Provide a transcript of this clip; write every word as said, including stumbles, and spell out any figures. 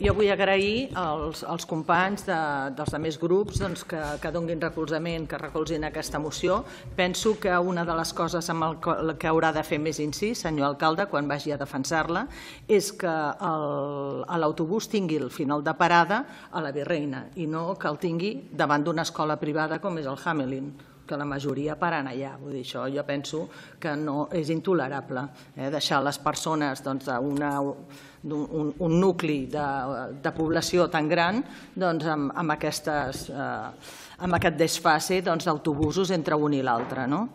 Jo vull agrair als, als companys de, dels altres grups doncs, que, que donguin recolzament, que recolzin aquesta moció. Penso que una de les coses amb el que haurà de fer més incís, senyor alcalde, quan vagi a defensar-la, és que l'autobús tingui el final de parada a la Virreina i no que el tingui davant d'una escola privada com és el Hamelin, que la majoria paren allà. Vull dir, això jo penso que no és intolerable, eh, deixar les persones doncs, una, un, un nucli de, de població tan gran doncs, amb, amb, aquestes, eh, amb aquest desfase doncs, d'autobusos entre un i l'altre. No?